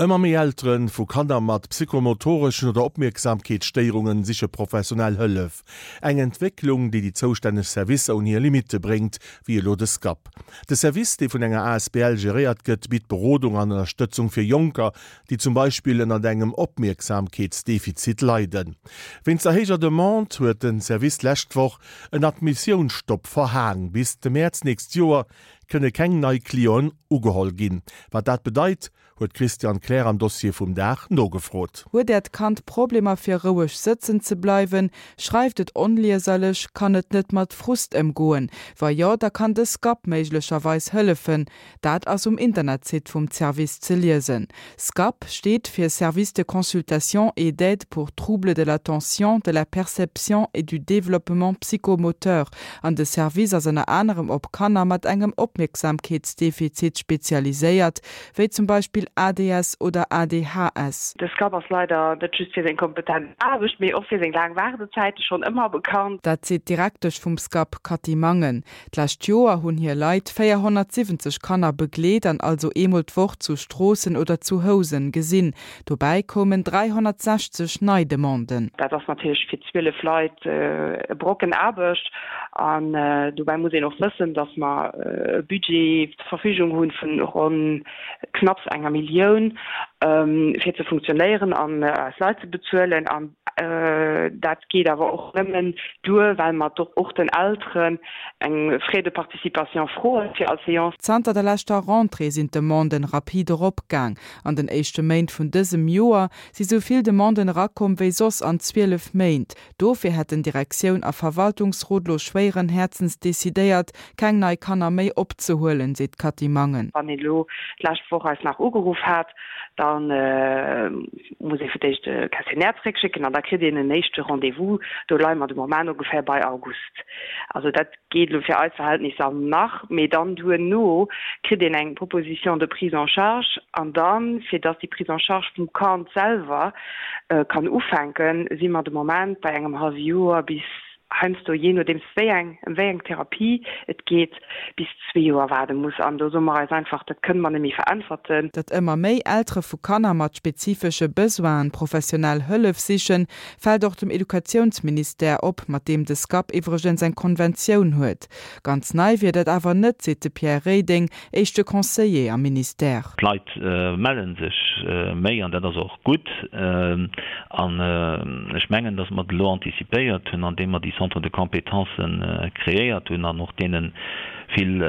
Ëmmer méi Eltere vu Kanner mat psychomotoreschen oder Opmierksamkeetsstéierunge siche professionell Hëllef. Eng Entwécklung, déi déi zoustänneg Servicer un hir Limitte bréngt, wéi elo de SCAP. De Service, dee vun enger asbl geréiert gëtt, bitt Berodung an Ënnerstëtzung fir Jonker, déi zum Beispill ënnert engem Opmierksamkeetsdefizit leiden. Wéinst der héijer Demande huet de Service d'lescht Woch en Admissiounsstopp verhaang. Bis de Mäerz nächst Joer kënne keng nei Clienten ugeholl ginn. Wat dat bedeit, huet d'Christiane Kleer am Dossier vum Dag nogefrot. Huet Äert Kand Problemer fir roueg sëtzen ze bleiwen? Schreift et onlieserlech? Kann et net mat Frust ëmgoen? Wa jo, da kann de SCAP méiglecherweis hëllefen. Dat ass um Internetsite vum Service ze liesen. SCAP steet fir Service de consultation et d'aide pour troubles de l'attention, de la perception et du développement psychomoteur an de Service ass ënner anerem op Kanner mat engem Opmierksamkeetsdefizit spezialiséiert, wéi zum Beispill ADS oder ADHS. De SCAP ass leider net just fir seng kompetent Aarbecht, mee och fir seng laang Waardezäite schonn ëmmer bekannt. Dat seet d'Direktesch vum SCAP, Cathy Mangen. D'lescht Joer hunn hir Leit 470 Kanner begleet an also eemol d'Woch zu Stroossen oder zu Housen gesinn. Dobäi koumen 360 nei Demanden. Dat ass natierlech fir 12 Leit e Brocken Aarbecht. An dobäi muss een och wëssen, datt mer e Budget zur Verfügung hu vun ronn knapps enger Millioun, fir ze funktionéieren an eis Leit ze bezuelen. An dat geet awer och nëmmen duer, well mer och den Elteren eng Frais de participation froen fir all Seance. Zanter der leschter Rentrée sinn d'Demanden rapid eropgaang. An den éischte Méint vun dësem Joer si sou vill Demanden erakomm wéi soss an 12 Méint. Dofir hätten Direktioun a Verwaltungsrot lo schwéieren Häerzens decidéiert, keng nei Kanner méi opzehuelen, seet d'Cathy Mangen. Wann een elo d'lescht Woch eis nach ugeruff hat, da muss ee fir d'éischt e Questionnaire zeréckschécken an da kritt een en éischte Rendez-vous. Do leie mer de Moment ongeféier bei August. Also dat geet elo fir eis Verhältnisser nach, mee dann duerno kritt een eng Proposition de prise en charge an dann, fir dass déi Prise en charge vum Kand selwer kann ufänken, si mer de Moment bei engem hallwe Joer bis heiansdo, jee nodeems wéi eng, ëm wéi eng Therapie et geet, bis zwee Joer waarde muss. An do soe mer eis einfach, dat kënne mer net méi veräntwerten. Datt ëmmer méi Eltere vu Kanner mat spezifesche Besoinen professionell Hëllef sichen, fält och dem Educatiounsministère op, mat deem de SCAP iwwregens eng Konventioun huet. Ganz nei wier dat awer net, seet de Pierre Reding, éischte Conseiller am Ministère. D'Leit melle sech méi an dat ass och gutt. An ech mengen, datt mer et elo anticipéiert hunn, andeem mer déi Centres de compétences kreéiert hunn an och deene vill,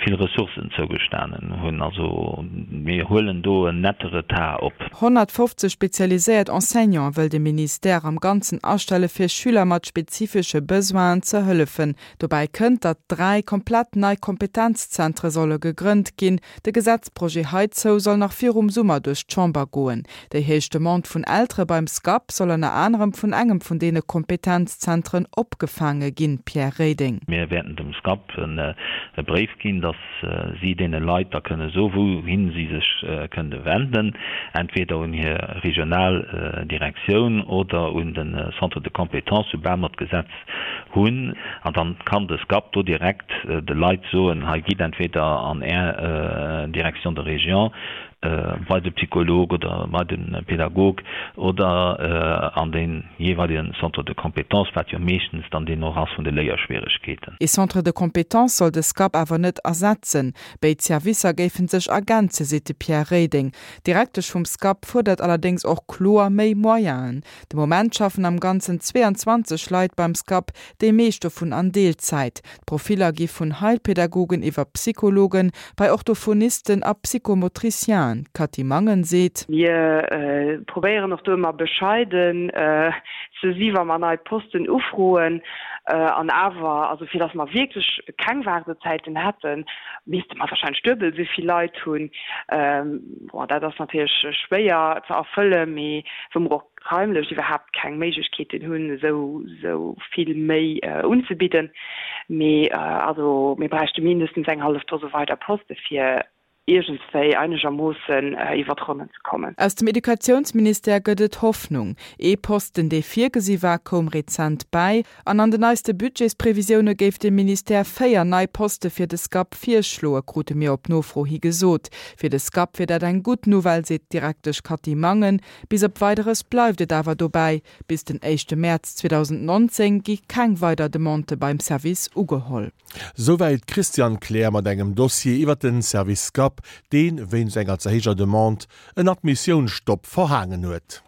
vill Ressourcen zougestanen hunn. Also mir huelen do en nette Retard op. 150 spezialiséiert Enseignante wëll de Ministère am Ganzen astelle fir Schüler mat spezifesche Besoinen ze hëllefen. Dobäi kënnt, datt 3 komplett nei Kompetenzzentre solle gegrënnt ginn. De Gesetzprojet heizou soll nach virum Summer duerch d'Chamber goen. Déi héich Demande vun Eltere beim SCAP soll ënner anerem vun engem vun deene Kompetenzzentren opgefaange ginn, Pierre Reding. Mir wäerten dem SCAP e Bréif ginn, datt si deene Leit da kënne soen, wouhin si sech kënne wenden, entweder un hir regional Direktioun oder un de Centre de compétences, soubal mer d'Gesetz hunn, an dann kann de SCAP do direkt de Leit soen, hei gitt entweder an Är Direction de région bei de Psycholog oder bei de Pädagog oder an de jeeweilegen Centre de compétences, wat jo meeschtens dann deen och ass vun de Léierschwieregkeeten. Ee Centre de compétences soll de SCAP awer net ersetzen. Béid Servicer géife sech ergänzen, seet de Pierre Reding. D'Direktesch vum SCAP fuerdert allerdéngs och kloer méi Moyenen. De Moment schaffen am Ganzen 22 Leit beim SCAP, déi meescht dovun an Deelzäit. D'Profiller gi vun Heilpädagogen iwwer Psychologen, bei Orthophonisten a Psychomotricienen. D'Cathy Mangen seet. Mir probéieren och do ëmmer bescheiden ze si wa mer nei Posten ufroen. An awer, also fir datt mer wierklech keng Waardezäiten hätten, misste mer warscheinlech duebel esou vill Leit hunn. Bon, dat ass natierlech schwéier ze erfëllen, mee wou mer och raimlech iwwerhaapt keng Méiglechkeeten hunn, esou esou vill méi unzebidden. Mee also mir bräichte mindestens eng hallef Dose weider Poste fir. Iergendswéi einegermoossen iwwer d'Ronnen ze kommen. Aus dem Educatiounsministère gëtt et Hoffnung. Ee Posten, dee virgesi war, koum rezent bäi. An an de neiste Budgetsprevisioune géif de Ministère 4 nei Poste fir de SCAP virschloe, krute mir op Nofro hi gesot. Fir de SCAP wier dat eng gutt Nouvelle, seet d'Direktesch Cathy Mangen. Bis op Weideres bleift et awer dobäi, Bis den éischte Mäerz 2019 gi keng weider Demandë beim Service ugeholl. Souwäit d'Christiane Kleer mat engem Dossier iwwer den Service SCAP, deen, wéinst enger ze héijer Demande, en Admissiounsstopp verhaangen huet.